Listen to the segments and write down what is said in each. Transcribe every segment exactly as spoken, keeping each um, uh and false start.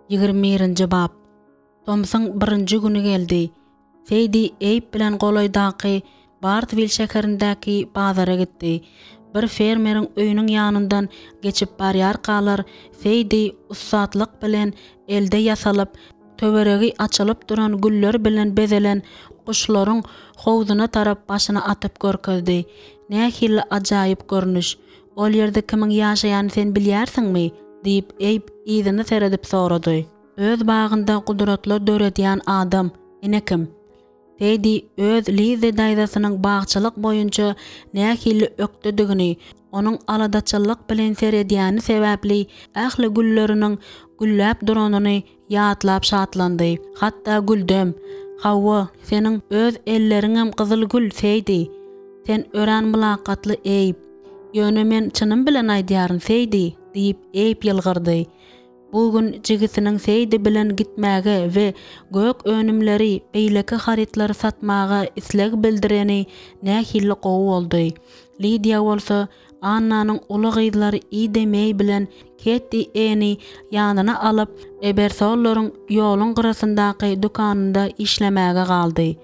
Ýigrimi birinji bap. Tomsuň birinji güni geldi. Seýdi Eýb bilen golaýdaky Bartwil şäherindäki bazara gitdi. Bir fermeriň öýüniň ýanyndan geçip barýarkalar, Seýdi ussatlyk bilen elde ýasalyp, töweregi açylyp duran güller bilen bezelen guşlaryň howzuna tarap başyny atyp görkezdi. Nähili ajaýyp görnüş! Ol ýerde kimiň ýaşaýanyny sen bilýärsiňmi? diýip, Eýb yzyna seredip sorady. Öz bagynda gudratlar döredýän adam, ine kim. Teddi öz Lizzi daýzasynyň bagçylyk boýunça nähili ökdedigini, onuň aladaçyllyk bilen seredýäni sebäpli ähli gülleriniň gülläp duranyny ýatlap şatlandy. Hatda güldem. Hawa, seniň öz elleriňem gyzyl gül, Seýdi. Sen örän mylakatly, Eýb. Ýöne men çynym bilen aýdýaryn, Seýdi, diýip, Eýb ýylgyrdy. Bu gün jigisiniň Seýdi bilen gitmäge we gök önümleri, beýleki harytlary satmaga isleg bildireni nähili gowy boldy. Lidiýa bolsa Annanyň uly gyzlary Ida Meý bilen Ketti Eni ýanyna alyp, Ebersollaryň ýoluň gyrasyndaky dükanynda işlemäge galdy.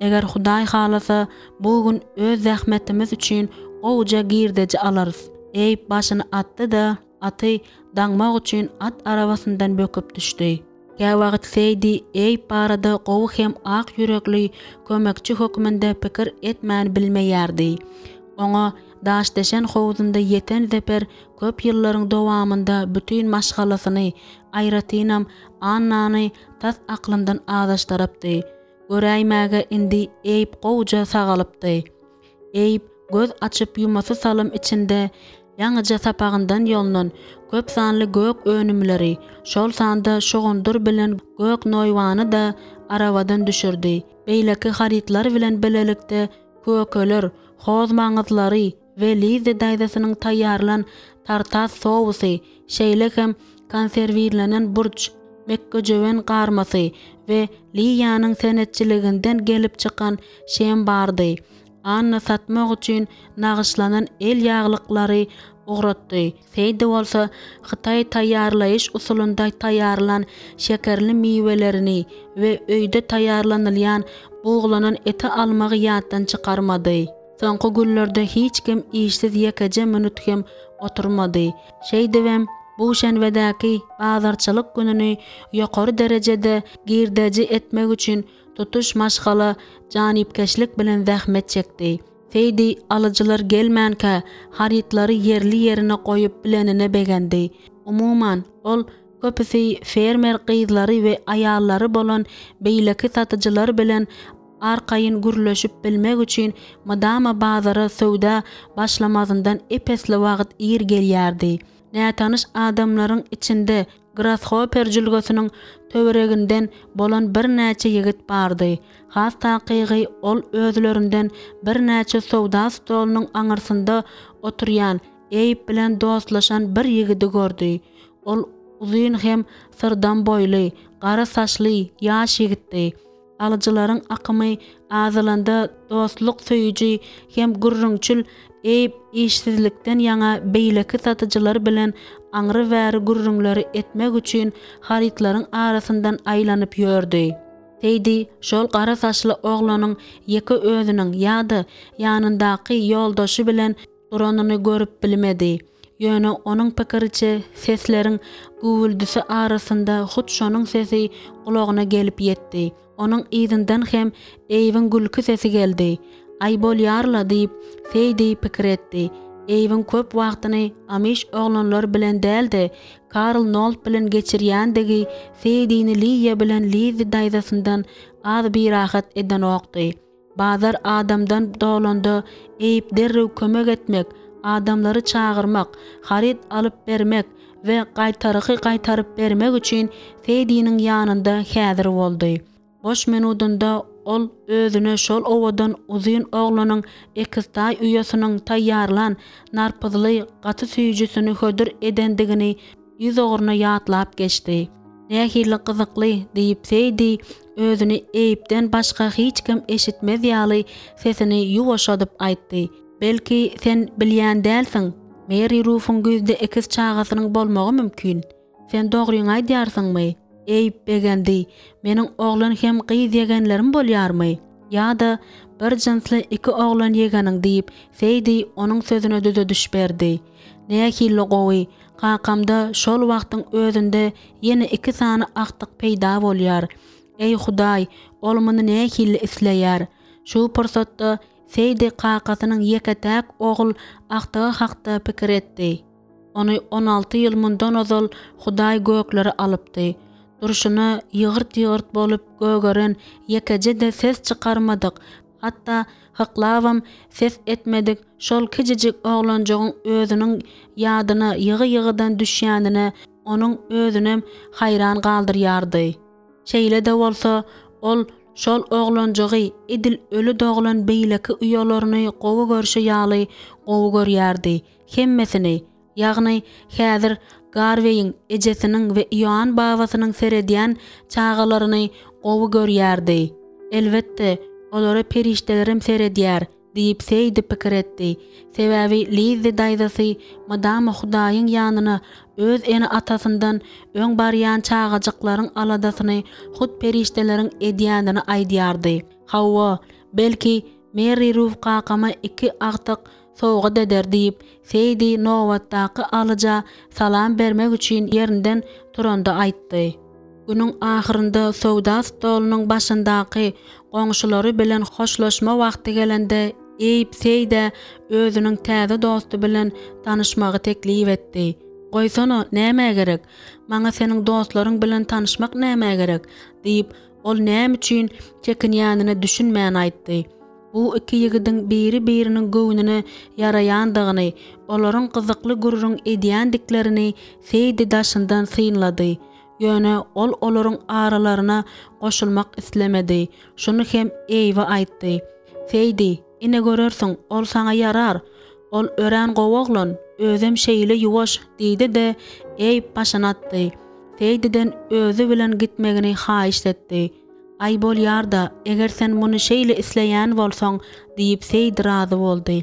Eger Hudaý halasa, bu gün öz zähmetimiz üçin gowuja girdeji alarys. Eýb başyny atdy-da, Aty daňmak üçin at arabasyndan böküp düşdi. Käwagt Seýdi Eýb barada gowy hem ak ýürekli kömekçi hökmünde pikir etmän bilmeýärdi. Oňa daşdeşen howzunda ýeten zeper köp ýyllaryň dowamynda bütin maşgalasyny, aýratynam Annany tas aklyndan azaşdyrypdy. Göräýmäge indi Eýb gowuja sagalypdy. Eýb göz açyp ýumasy salym içinde ýaňyja sapagyndan ýolnan köp sanly gök önümleri, şol sanda şugundyr bilen gök noýbany-da arabadan düşürdi. Beýleki harytlar bilen bilelikde kökeler, hoz maňyzlary we Lizzi daýzasynyň taýýarlan tartar sousy, şeýle hem konserwirlenen burç, mekgejöwen garmasy we Liýanyň senetçiliginden gelip çykan şem bardy. Anna satmak üçin nagyşlanan el ýaglyklary ugratdy. Seýdi bolsa hytaý taýýarlaýyş usulynda taýýarlan şekerli miwelerini we öýde taýýarlanylýan buglanan eti almagy ýatdan çykarmady. Soňky günlerde hiç kim işsiz ýekeje minut hem oturmady. Şeýdibem, bu şenbedäki bazarçylyk gününi ýokary derejede girdeji etmek üçin tutuş maşgala janypkeşlik bilen zähmet çekdi. Seýdi alyjylar gelmänkä harytlary ýerli-ýerine goýup bilenine begendi. Umuman, ol köpüsi fermer gyzlary we aýallary bolan beýleki satyjylar bilen arkaýyn gürleşip bilmek üçin mydama bazara söwda başlamazyndan ep-esli wagt ir gelýärdi. Nätanyş adamlaryň içinde Grashoper jülgesiniň töwereginden bolan birnäçe ýigit bardy. Has takygy, ol özlerinden birnäçe söwda stolunyň aňyrsynda oturýan Eýb bilen dostlaşan bir ýigidi gördi. Ol uzyn hem syrdam boýly, gara saçly ýaş ýigitdi. Alyjylaryň akymy azalanda dostluk söýüji hem gürrüňçil Eýb işsizlikden ýaňa beýleki satyjylar bilen aňry-bäri gürrüňleri etmek üçin harytlaryň arasyndan aýlanyp ýördi. Seýdi şol gara saçly oglanyň ýeke özüniň ýa-da ýanyndaky ýoldaşy bilen duranyny görüp bilmedi. Ýöne onuň pikiriçe sesleriň güwwüldisi arasynda hut şonuň sesi gulagyna gelip ýetdi. Onuň yzyndan hem Eýbiň gülki sesi geldi. Aý bolýar-la diýip, Seýdi pikir etdi. Eýbiň köp wagtyny amiş oglanlar bilen däl-de, Karl Nolt bilen geçirýändigi Seýdini Liýa bilen Lizzi daýzasyndan az birahat edenokdy. Bazar adamdan dolanda Eýp derrew kömek etmek, adamlary çagyrmak, haryt alyp bermek we gaýtargy gaýtaryp bermek üçin Seýdiniň ýanynda häzir boldy. Boş minudynda ol özüne şol owadan uzyn oglanyň ekiztaý uýasynyň taýýarlan narpyzly gaty süýjüsini hödür edendigini ýüzugruna ýatlap geçdi. Nähili gyzykly, diýip, Seýdi özüni Eýpden başga hiç kim eşitmez ýaly sesini ýuwaşadyp aýtdy. Belki, sen bilýän dälsiň, Meri Rufuň güýzde ekiz çagasynyň bolmagy mümkin. Sen dogryňy aýdýarsyňmy? Eýb begendi. Meniň oglan hem gyz ýegenlerim bolýarmy? Ýa-da bir jynsly iki oglan ýegeniň, diýip, Seýdi onuň sözüne düzediş berdi. Nähili gowy, kakamda şol wagtyň özünde ýene iki sany agtyk peýda bolýar. Eý, Hudaý, ol muny nähili isleýär? Şu pursatda Seýdi kakasynyň ýeke-täk ogul agtygy hakda pikir etdi. Ony on alty ýyl mundan ozal Hudaý göklere alypdy. Durşuna ýygyrt-ýygyrt bolup gögeren, ýekeje-de ses çykarmadyk, hatda hyklabam ses etmedik şol kijijik oglanjygyň özüniň ýadyna ýygy-ýygydan düşýänine onuň özünem haýran galdyrýardy. Şeýle-de bolsa, ol şol oglanjygy edil öli doglan beýleki uýalaryny gowy görşi ýaly gowy görýärdi. Hemmesini, ýagny häzir Garweýiň ejesiniň we Ioann babasynyň seredýän çagalaryny gowy görýärdi. Elbetde, olara perişdelerem seredýär, diýip Seýdi pikir etdi. Sebäbi Lizzi daýzasy mydama Hudaýyň ýanyna öz ene-atasyndan öň barýan çagajyklaryň aladasyny hut perişdeleriň edýänini aýdýardy. Hawa, belki, Merri Ruf kakama iki agtyk sowgat eder diýip, Seýdi nobatdaky alyja salam bermek üçin ýerinden turanda aýtdy. Günüň ahyrynda söwda stolunyň başyndaky goňşulary bilen hoşlaşma wagty gelende, Eýb Seýdä özüniň täze dosty bilen tanyşmagy teklip etdi. Goýsana, nämä gerek? Maňa seniň dostlaryň bilen tanyşmak nämä gerek? diýip, ol näme üçin çekinýänine düşünmän aýtdy. Bu iki ýigidiň biri-biriniň göwnüne ýaraýandygyny, olaryň gyzykly gürrüň edýändiklerini Seýdi daşyndan synlady. Ýöne ol olaryň aralaryna goşulmak islemedi. Şuny hem Eýbe aýtdy. Seýdi, ine görersiň, ol saňa ýarar. Ol örän gowy oglan, özem şeýle ýuwaş, diýdi-de, Eýb başyny atdy. Seýdiden özi bilen gitmegini haýyşt etdi. Aý bolýar-da, eger sen muny şeýle isleýän bolsaň, diýip Seýdi razy boldy.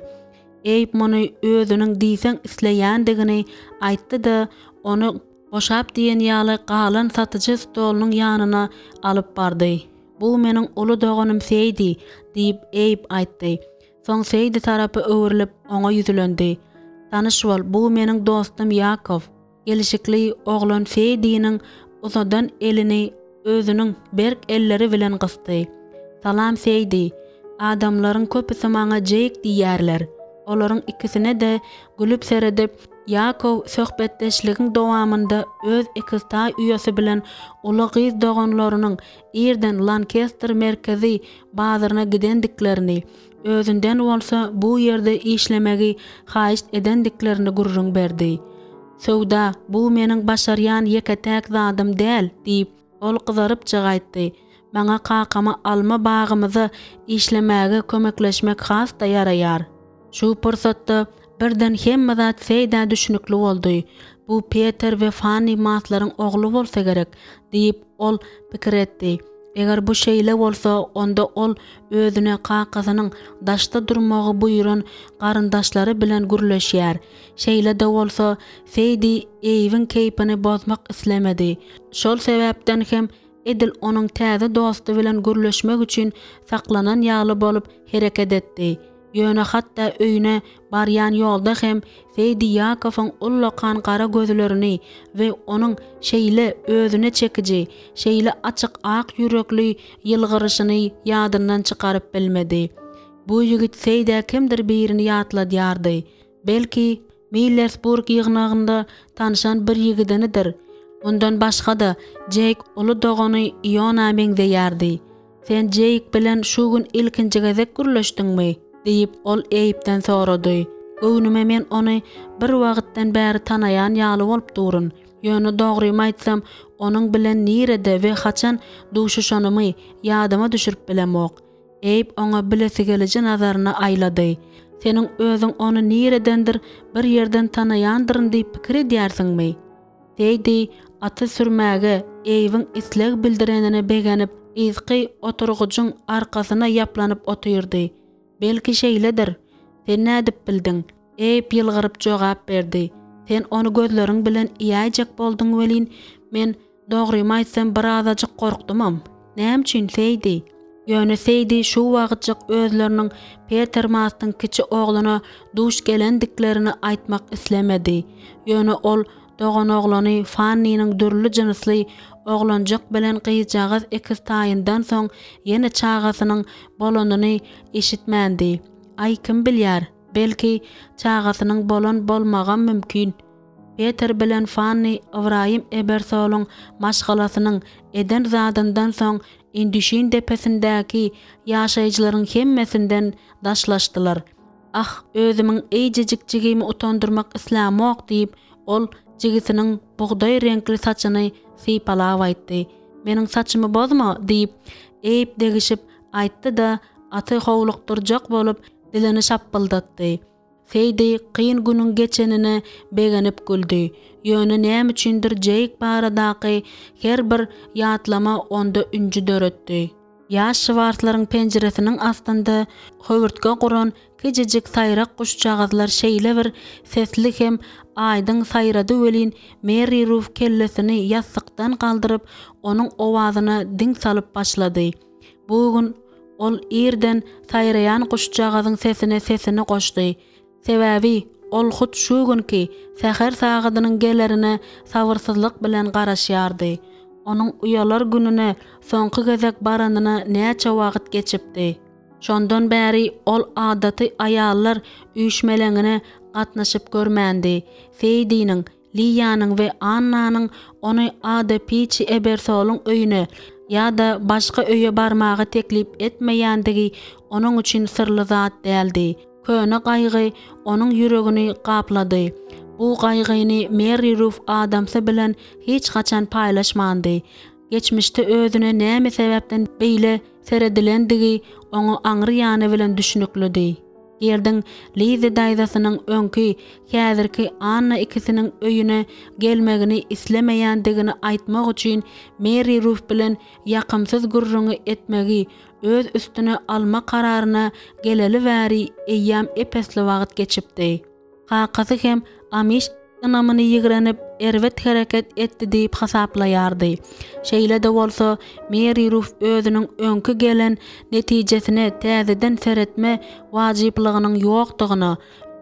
Eýb muny özüniň diýseň isleýändigini aýtdy-da, ony boşap diýen ýaly galan satyjy stolunyň ýanyna alyp bardy. Bu meniň uly doganym Seýdi, diýip Eýb aýtdy. Soň Seýdi tarapa öwrülip, oňa ýüzlendi. Tanyş bol, bu meniň dostum Ýakow. Gelşikli oglan Seýdiniň uzadan elini özüniň berk elleri bilen gysdy. Salam, Seýdi. Adamlaryň köpüsi maňa Jeýk diýýärler. Olaryň ikisine-de gülüp seredip, Ýakow söhbetdeşligiň dowamynda öz ekiztaý uýasy bilen uly gyz doganlarynyň irden Lankester merkezi bazaryna gidendiklerini, özünden bolsa bu ýerde işlemegi haýyşt edendiklerini gürrüň berdi. Söwda, bu meniň başarýan ýeke-täk zadym däl, diýip, ol gyzarypjyk aýtdy. Maňa kakama alma bagymyza işlemäge kömekleşmek has-da ýaraýar. Şu pursatda birden hemme zat Seýdä düşnükli boldy. Bu Peter we Fanni Maslaryň ogly bolsa gerek, diýip, ol pikir etdi. Eger bu şeýle bolsa, onda ol özüne kakasynyň daşda durmagy buýran garyndaşlary bilen gürleşýär. Şeýle-de bolsa, Seýdi Eýwiň keýpini bozmak islemedi. Şol sebäpden hem edil onuň täze dosty bilen gürleşmek üçin saklanan ýaly bolup hereket etdi. Ýöne hatda öýüne barýan ýolda hem Seýdi Ýakowyň ullakan gara gözlerini we onuň şeýle özüne çekiji, şeýle açyk ak ýürekli ýylgyryşyny ýadyndan çykaryp bilmedi. Bu ýigit Seýdä kimdir birini ýatladýardy. Belki, Millersburg ýygnagynda tanşan bir ýigidinidir. Mundan başga-da, Jeýk uly dogany Iona meňzeýärdi. Sen Jeýk bilen şu gün ilkinji gezek gürleşdiňmi? diýip, ol Eýbden sorady. Göwnüme men ony bir wagtdan bäri tanaýan ýaly bolup durun. Ýöne dogrymy aýtsam, onuň bilen nirede we haçan duşuşanymy ýadyma düşürip bilemok. Eýb oňa bilesigeliji nazaryny aýlady. Seniň özüň ony niredendir bir ýerden tanaýandyryn diýip pikir edýärsiňmi? Seýdi aty sürmäge Eýbiň isleg bildirenine begenip, yzky oturgyjyň arkasyna ýaplanyp otyrdy. Belki şeýledir. Sen nädip bildiň? Eýb ýylgyryp jogap berdi. Sen ony gözleriň bilen iýäýjek bolduň welin, men Dogrymy aýtsam, birazajyk gorkdumam. Näme üçin, Seýdi? Ýöne Seýdi şu wagtjyk özleriniň Peter Mastyň kiçi ogluna duş gelendiklerini aýtmak islemedi. Ýöne ol doganoglany Fanniniň dürli jynsly oglanjyk bilen gyzjagaz ekiztaýyndan soň ýene çagasynyň bolanyny eşitmändi. Aý, kim bilýär, belki, çagasynyň bolan bolmagam mümkin. Peter bilen Fanni Ybraýym Ebersolyň maşgalasynyň eden zadyndan soň Indüşin depesindäki ýaşaýjylaryň hemmesinden daşlaşdylar. Ah, özümiň eýjejik jigimi utandyrmak islämok, diýip, ol jigisiniň bugdaý reňkli saçyny sypalap aýtdy. Meniň saçymy bozma, diýip, Eýb degişip aýtdy-da, aty howlukdyrjak bolup, dilini şapbyldatdy. Seýdi kyn günüň geçenine begenip güldi. Ýöne näme üçindir Jeýk baradaky her bir ýatlama onda ünji döretdi. Ýaş Şwarslaryň penjiresiniň astynda höwürtge guran kijijik saýrak guşjagazlar şeýle bir sesli hem aýdyň saýrady welin, Merri Ruf kellesini ýassykdan galdyryp, onuň owazyna diň salyp başlady. Bu gün ol irden saýraýan guşjagazyň sesine sesini goşdy. Sebäbi ol hut şu günki säher sagadynyň gelerine sabyrsyzlyk bilen garaşýardy. Onuň uýalar gününe soňky gezek baranyna näçe wagt geçipdi. Şondan bäri ol adaty aýallar üýşmeleňine gatnaşyp görmändi. Seýdiniň Liýanyň we Annanyň ony Ada Piçi Ebersolyň öýüne ýa-da başga öýe barmaga teklip etmeýändigi onuň üçin syrly zat däldi. Köne gaýgy onuň ýüregini gaplady. Bu gaýgyny Merri Ruf adamsy bilen hiç haçan paýlaşmandy. Geçmişde özüne näme sebäpden beýle seredilendigi oňa aňry ýany bilen düşnüklidi. Gerdiň Lizi daýzasynyň öňki, häzirki Anna ikisiniň öýüne gelmegini islemeýändigini aýtmak üçin Merri Ruf bilen ýakymsyz gürrüňi etmegi öz üstüne alma kararyna geleli bäri eýýäm ep-esli wagt geçipdi. Kakasy hem Amiş ynamyny ýigrenip, erbet hereket etdi diýip hasaplaýardy. Şeýle-de bolsa, Meri Ruf özüniň öňki gelen netijesine täzeden seretme wajyplygynyň ýokdugyna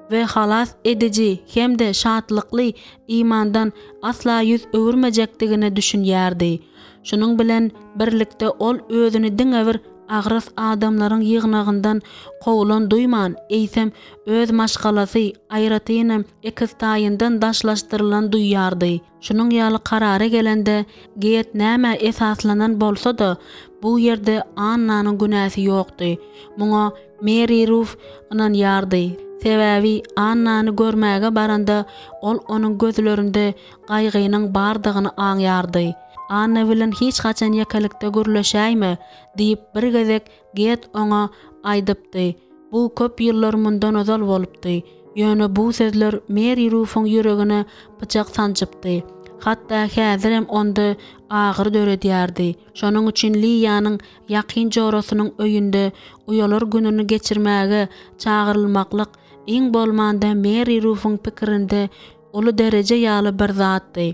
we halas ediji hem-de şatlykly imandan asla ýüz öwürmejekdigine düşünýärdi. Şunuň bilen birlikde ol özüni diňe bir agras adamlaryň ýygnagyndan kowlan duýman, eýsem, öz maşgalasy, aýratynam, ekiztaýyndan daşlaşdyrylan duýýardy. Şunuň ýaly karara gelende, Geýet nämä esaslanan bolsa-da, bu ýerde Annanyň günäsi ýokdy. Muňa Meri Ruf ynanýardy. Sebäbi Annany görmäge baranda, ol onuň gözlerinde gaýgynyň bardygyny aňýardy. Anna bilen hiç haçan ýekelikde gürleşäýme, diýip, bir gezek Get oňa aýdypdy. Bu köp ýyllar mundan ozal bolupdy. Ýöne bu sözler Meri Rufuň ýüregine pyçak sanjypdy. Hatda häzirem onda agyry döredýärdi. Şonuň üçin Liýanyň ýakyn jorasynyň öýünde uýalar gününi geçirmäge çagyrylmaklyk iň bolmanda Meri Rufuň pikirinde uly dereje ýaly bir zatdy.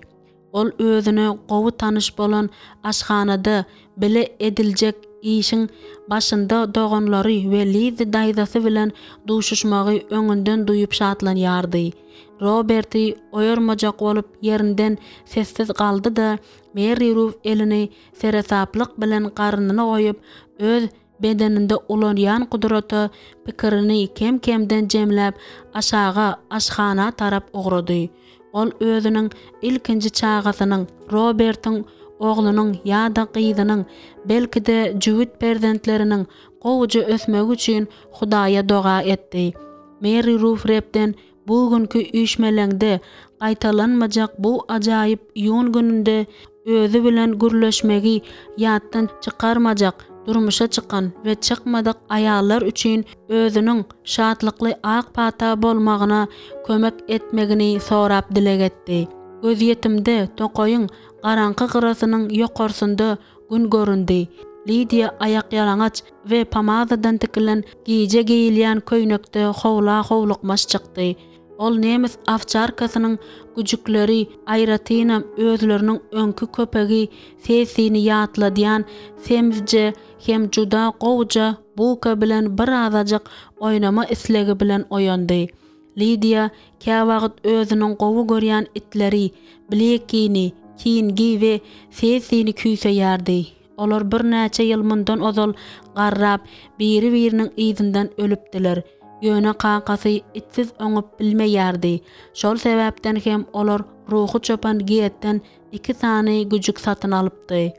Ol özüne gowy tanyş bolan aşhanada bile ediljek işiň başynda doganlary we Lizzi daýzasy bilen duşuşmagy öňünden duýup şatlanýardy. Roberti oýarmajak bolup ýerinden sessiz galdy-da, Merri Ruf elini seresaplyk bilen garnyna goýup, öz bedeninde ulanýan gudrata pikirini kem-kemden jemläp, aşaga, aşhana tarap ugrady. Ol özüniň ilkinji çagasynyň, Robertiň oglunyň ýa-da gyzynyň, belki-de, jübüt perzentleriniň gowuja ösmegi üçin Hudaýa doga etdi. Meri Ruf Rebden Bu günki üýşmeleňde gaýtalanmajak bu ajaýyp iýun gününde özi bilen gürleşmegi ýatdan çykarmajak durmuşa çykan we çykmadyk aýallar üçin özüniň şatlykly ak pata bolmagyna kömek etmegini sorap dileg etdi. Gözýetimde tokaýyň garaňky gyrasynyň ýokarsynda Gün göründi. Lidiýa aýakýalaňaç we pomadadan tikilen gije geýilýän köýnekde howla howlukmaç çykdy. Ol nemes owçarkasynyň güjükleri, aýratynam özleriniň öňki köpegi Sessini ýatladýan semizje hem juda gowuja Buka bilen birazajyk oýnama islegi bilen oýandy. Lidiýa käwagt özüniň gowy görýän itleri Blekkini, Kingi we Sessini küýseýärdi. Olar birnäçe ýyl mundan ozal garrap, biri-biriniň yzyndan ölüpdiler. Ýöne kakasy itsiz oňup bilmeýärdi. Şol sebäpden hem olar ruhy çopan Getden iki sany güjük satyn alypdy.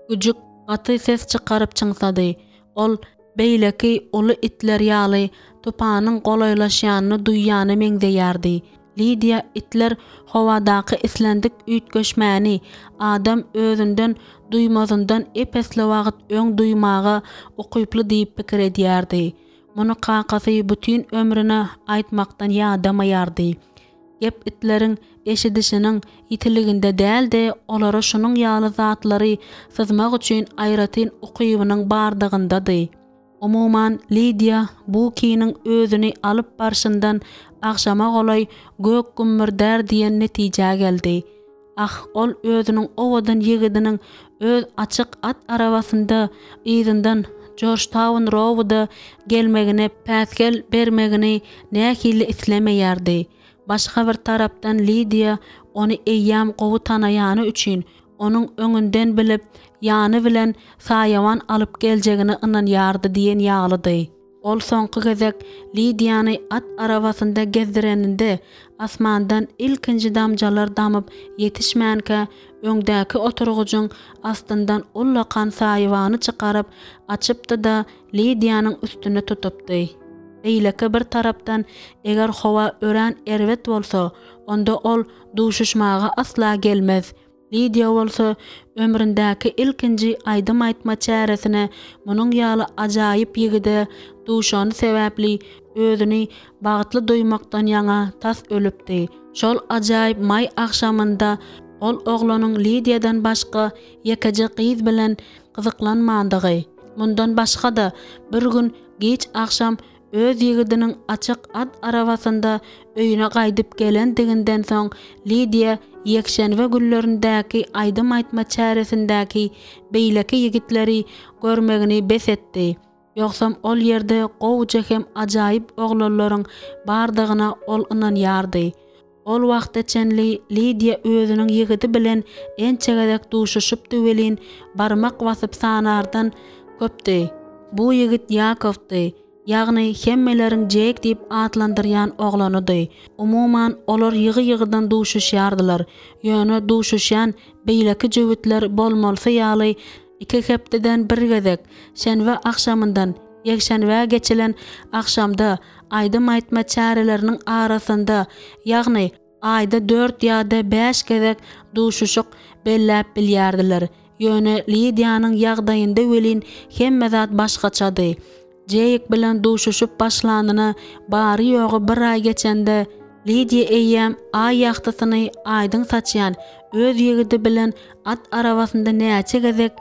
Güjük gaty ses çykaryp çyňsady. Ol beýleki uly itler ýaly tupanyň golaýlaşýanyny duýýana meňzeýärdi. Lidiýa itler howadaky islendik üýtgeşmäni adam özünden duýmazyndan ep-esli wagt öň duýmaga ukyply diýip pikir edýärdi. Muny kakasy bütin ömrüne aýtmakdan ýadamaýardy. Gep itleriň eşidişiniň ýitiliginde däl-de, olara şunuň ýaly zatlary syzmak üçin aýratyn ukybynyň bardygyndady. Umuman, Lidiýa Bukiniň özüni alyp barşyndan agşama golaý gök gümmürdär diýen netijä geldi. Ah, ol özüniň owadan ýigidiniň öz açyk at arabasynda yzyndan Jorjtaun-Rouda gelmegine päsgel bermegini nähili islemeýärdi. Başga bir tarapdan Lidiýa ony eýýäm gowy tanaýany üçin, onuň öňünden bilip, ýany bilen saýawan alyp geljegine ynanýardy diýen ýalydy. Ol soňky gezek Lidiýany at arabasynda gezdireninde, asmandan ilkinji damjalar damyp ýetişmänkä, öňdäki oturgyjyň astyndan ullakan saýawany çykaryp, açypdy-da, Lidiýanyň üstüne tutupdy. Beýleki bir tarapdan, eger howa örän erbet bolsa, onda ol duşuşmaga asla gelmez. Lidiýa bolsa ömründäki ilkinji aýdym aýtma çäresine munuň ýaly ajaýyp ýigide duşany sebäpli özüni bagtly duýmakdan ýaňa tas ölüpdi. Şol ajaýyp maý agşamynda ol oglanyň Lidiýadan başga ýekeje gyz bilen gyzyklanmandygy, mundan başga-da bir gün giç agşam Öz ýigidiniň açyk at arabasynda öýüne gaýdyp gelendiginden soň Lidiýa ýekşenbe günlerindäki aýdym aýtma çäresindäki beýleki ýigitleri görmegini bes etdi. Ýogsam ol ýerde gowuja hem ajaýyp oglanlaryň bardygyna ol ynanýardy. Ol wagta çenli Lidiýa özüniň ýigidi bilen ençe gezek duşuşypdy welin, barmak basyp sanardan köpdi. Bu ýigit Ýakowdy, ýagny hemmeleriň Jeýk diýip atlandyrýan oglanydy. Umuman, olar ýygy-ýygydan duşuşýardylar. Ýöne duşuşýan beýleki jübütler bolmalysy ýaly iki hepdeden bir gezek, şenbe agşamyndan ýekşenbä geçilen agşamda aýdym aýtma çäreleriniň arasynda, ýagny aýda dört ýa-da bäş gezek duşuşyk belläp bilýärdiler. Ýöne Lidiýanyň ýagdaýynda welin hemme zat başgaçady. Jeýk bilen duşuşyp başlanyna bary-ýogy bir aý geçende, Lidiýa eýýäm aý ýagtysyny aýdyň saçýan öz ýigidi bilen at arabasynda näçe gezek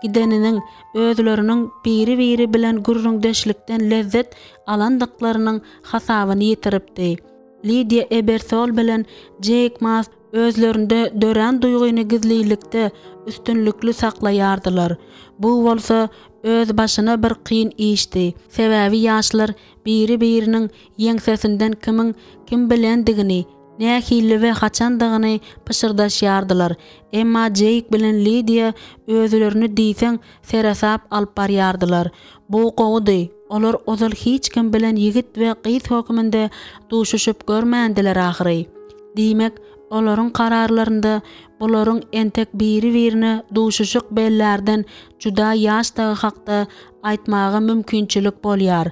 gideniniň, özleriniň biri-biri bilen gürrüňdeşlikden lezzet alandyklarynyň hasabyny ýitiripdi. Lidiýa Ebersol bilen Jeýk Mast özlerinde dörän duýgyny gizlilikde üstünlikli saklaýardylar. Bu bolsa özbaşyna bir kyn işdi. Sebäbi ýaşlar biri-biriniň ýeňsesinden kimiň kim bilendigini, nähili we haçandygyny pyşyrdaşýardylar. Emma Jeýk bilen Lidiýa özlerini diýseň seresap alyp barýardylar. Bu gowudy, olar ozal hiç kim bilen ýigit we gyz hökmünde duşuşyp görmändiler ahyry. Diýmek, olaryň kararlarynda bularyň entek biri-birine duşuşyk bellärden juda ýaşdygy hakda aýtmaga mümkinçilik bolýar.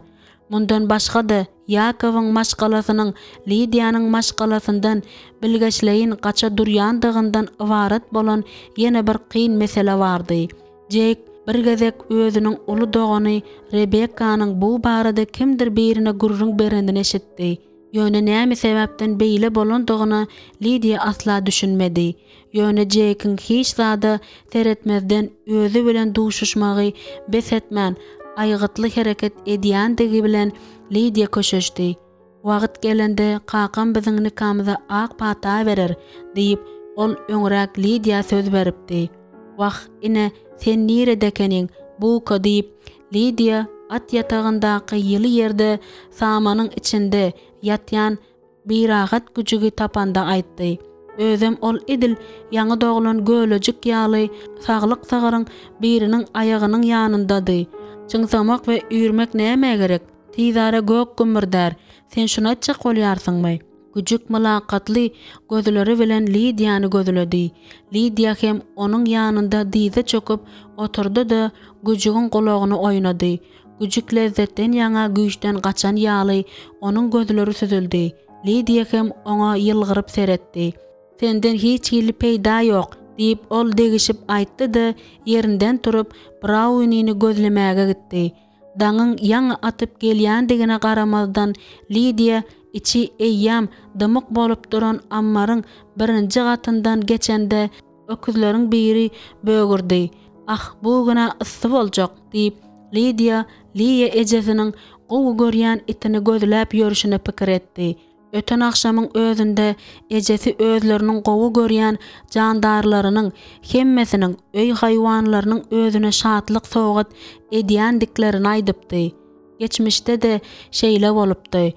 Mundan başga-da, Ýakowyň maşgalasynyň Lidiýanyň maşgalasyndan bilgeşleýin gaça durýandygyndan ybarat bolan ýene bir kyn mesele bardy. Jeýk bir gezek özüniň uly dogany Rebekkanyň bu barada kimdir birine gürrüň berenini eşitdi. Ýöne näme sebäpden beýle bolandygyna Lidiýa asla düşünmedi. Ýöne Jeýkiň hiç zada seretmezden özi bilen duşuşmagy bes etmän, aýgytly hereket edýändigi bilen Lidiýa köşeşdi. Wagt gelende kakam biziň nikamyza ak pata berer, diýip, ol öňräk Lidiýa söz beripdi. Wah, ine, sen nirede ekeniň, Buka, diýip, Lidiýa at ýatagyndaky ýyly ýerde samanyň içinde ýatýan birahat güjügi tapanda aýtdy. Özem ol edil ýaňy doglan gölejik ýaly saglyk sygyryň biriniň aýagynyň ýanyndady. Çyňsamak we üýrmek nämä gerek? Tizara gök gümmürdär. Sen şuny aýtjak bolýarsyňmy? Güjük mylakatly gözleri bilen Lidiýany gözledi. Lidiýa hem onuň ýanynda dyza çöküp oturdy-da, güjügiň gulagyny oýnady. Güjük lezzetden ýaňa güýçden gaçan ýaly, onuň gözleri süzüldi. Lidiýa hem oňa ýylgyryp seretdi. Senden hiç hili peýda ýok, diýip, ol degişip aýtdy-da, ýerinden turup, Braunini gözlemäge gitdi. Daňyň ýaňy atyp gelýändigine garamazdan, Lidiýa içi eýýäm dymyk bolup duran ammaryň birinji gatyndan geçende, öküzleriň biri bögürdi. Ah, bu gün-ä yssy boljak, diýip, Lidiýa Liýa ejesiniň gowy görýän itini gözläp ýörşüne pikir etdi. Öten agşamyň özünde ejesi özleriniň gowy görýän jandarlarynyň hemmesiniň öý haýwanlarynyň özüne şatlyk sowgat edýändiklerini aýdypdy. Geçmişde-de şeýle bolupdy.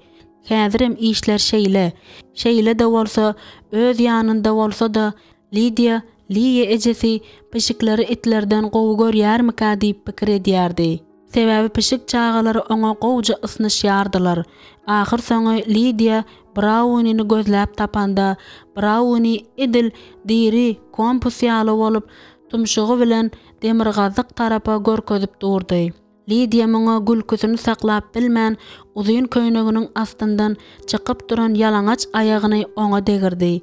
Häzirem işler şeýle. Şeýle-de bolsa, öz ýanynda bolsa-da, Lidiýa Liýa ejesi pişikleri itlerden gowy görýärmikä diýip pikir edýärdi. Sebäbi pişik çagalary oňa gowuja ysnyşýardylar. Ahyrsoňy Lidiýa Braunini gözläp tapanda, Brauni edil diri kompus ýaly bolup, tumşugy bilen demirgazyk tarapa görkezip durdy. Lidiýa muňa gülküsini saklap bilmän, uzyn köýneginiň astyndan çykyp duran ýalaňaç aýagyny oňa degirdi.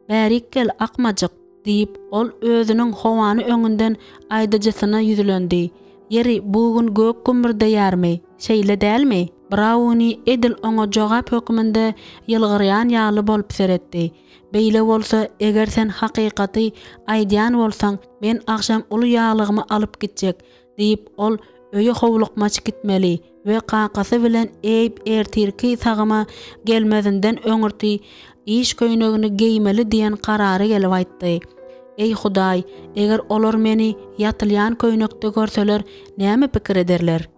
Bärik gel, akmajyk! Diýip, ol özüniň howany öňünden aýdyjysyna ýüzlendi. Ýeri, bu gün gök gümmürdeýärmi? Şeýle dälmi? Brauni edil oňa jogap hökmünde ýylgyrýan ýaly bolup seretdi. Beýle bolsa, eger sen hakykaty aýdýan bolsaň, men agşam uly ýaglygymy alyp gitjek, diýip, ol öýe howlukmaç gitmeli we kakasy bilen Eýb ertirki sagyma gelmezinden öňürti iş köýnegini geýmeli diýen karara gelip aýtdy. Eý, Hudaý, eger olar meni ýatylýan köýnekde görseler, näme pikir ederler?